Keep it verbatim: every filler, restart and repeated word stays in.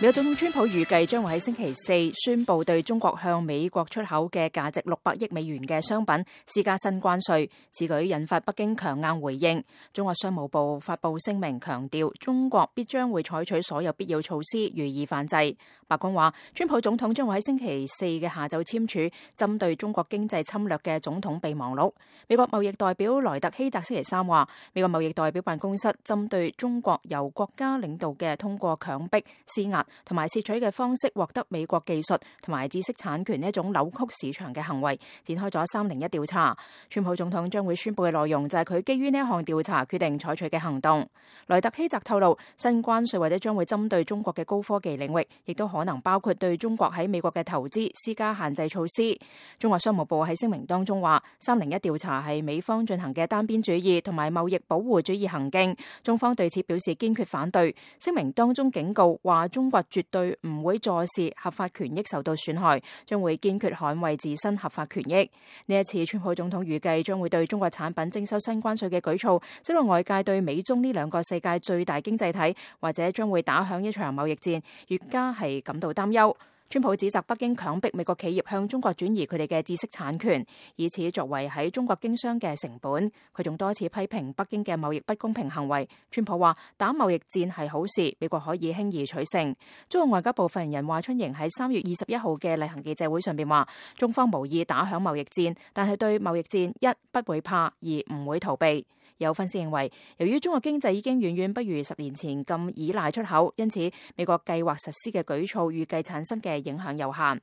美國總統川普預計將會喺星期四宣布對中國向美國出口嘅價值六百億美元嘅商品施加新關稅，此舉引發北京強硬回應。中國商務部發布聲明強調，中國必將會採取所有必要措施予以反制。白宮話，川普總統將會喺星期四嘅下晝簽署針對中國經濟侵略嘅總統備忘錄。美國貿易代表萊特希澤星期三話，美國貿易代表辦公室針對中國由國家領導嘅通過強迫、施壓同埋竊取嘅方式獲得美國技術同埋知識產權呢一種扭曲市場嘅行為，展開咗三零一調查。川普總統將會宣布嘅內容就係佢基於呢一項調查決定採取嘅行動。萊特希澤透露，新關稅或者將會針對中國嘅高科技領域，亦都可能包括對中國喺美國嘅投資施加限制措施。中國商務部喺聲明當中話，三零一調查係美方進行嘅單邊主義同埋貿易保護主義行徑，中方對此表示堅決反對。聲明當中警告話，中國絕對唔會坐視合法權益受到損害，將會堅決捍衛自身合法權益。呢一次川普總統預計將會對中國產品徵收新關稅嘅舉措，使到外界對美中呢兩個世界最大經濟體或者將會打響一場貿易戰，越加係感到擔憂。川普指責北京強迫美國企業向中國轉移佢哋嘅知識產權，以此作為喺中國經商嘅成本。佢仲多次批評北京嘅貿易不公平行為。川普話，打貿易戰係好事，美國可以輕易取勝。中國外交部發言人華春瑩喺三月二十一號嘅例行記者會上邊話，中方無意打響貿易戰，但係對貿易戰一不會怕，二唔會逃避。有分析認為，由於中國經濟已經遠遠不如十年前咁依賴出口，因此美國計劃實施嘅舉措預計產生嘅影響有限。